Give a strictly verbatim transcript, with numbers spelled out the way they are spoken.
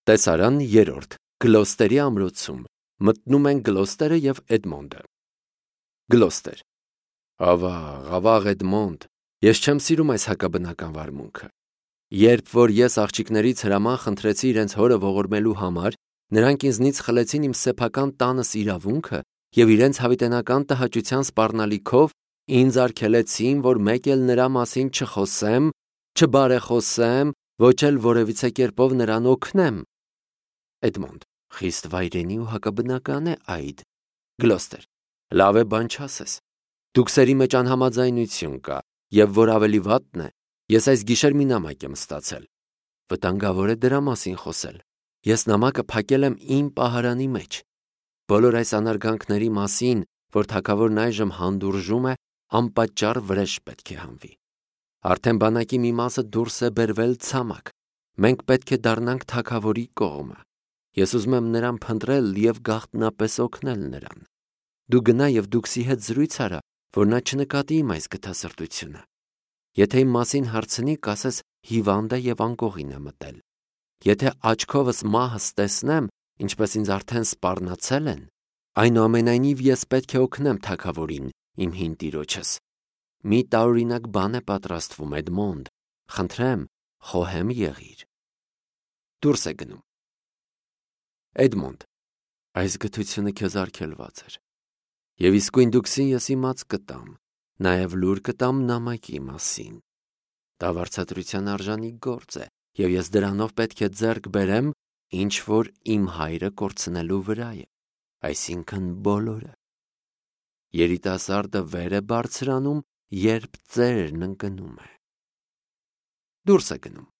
Տեսարան երրորդ. Գլոստերի ամրոցում։ Մտնում են Գլոստերը և Էդմոնդը։ Գլոստեր. Ավաղ, ավաղ Էդմոնդ, ես չեմ սիրում այս հակաբնական վարմունքը։ Երբ որ ես աղջիկներից հրաման խնդրեցի իրենց հորը ողորմելու համար, նրանք ինձնից խլեցին իմ սեփական տանս իրավունքը և իրենց հավիտենական տհաճության սպառնալիքով ինձ արգելեցին, որ մեկ էլ նրա մասին չխոսեմ, չբարեխոսեմ, ոչ էլ որևիցե կերպով նրան օգնեմ։ Էդմոնդ. Խիստ վայրենի ու հակաբնական է այդ։ Գլոստեր. լավ է, բան չասես։ Դուքսերի մեջ անհամաձայնություն կա, և որ ավելի վատն է, ես այս գիշեր մի նամակ եմ ստացել։ Վտանգավոր է դրա մասին խոսել։ Ես նամակը փակել եմ իմ պահարանի մեջ։ Բոլոր այս անարգանքների մասին, որ թագավորն այժմ հանդուրժում է, անպատճառ վրեժ պետք է հանվի։ Արդեն բանակի մի մասը դուրս է բերվել ցամաք։ Մենք պետք է դառնանք թագավորի կողմը։ Ես ուզում եմ նրան փնտրել և գաղտնապես օգնել նրան։ Դու գնա և Դուքսի հետ զրույց արա, որ նա չնկատի իմ այս գթասրտությունը։ Եթե իմ մասին հարցնի, կասես հիվանդ է և անկողին է մտել։ Եթե աչքովս մահս տեսնեմ, ինչպես ինձ արդեն սպառնացել են, այնուամենայնիվ ես պետք է օգնեմ թագավորին, իմ հին տիրոջս։ Մի տարօրինակ բան է պատրաստվում, Էդմոնդ, խնդրեմ, խոհեմ եղիր։ Դուրս է գնում։ Էդմոնդ. Այս գթությունը քեզ արգելված էր։ Եվ իսկույն Դուքսին ես իմաց կտամ, նաև լուր կտամ նամակի մասին։ Դա վարձատրության արժանի գործ է, և ես դրանով պետք է ձեռք բերեմ, ինչ որ իմ հայրը կորցնելու վրա է, այսինքն բոլորը։ Երիտասարդը վեր է բարձրանում, երբ ծերն ընկնում է։ Դուրս է գնում։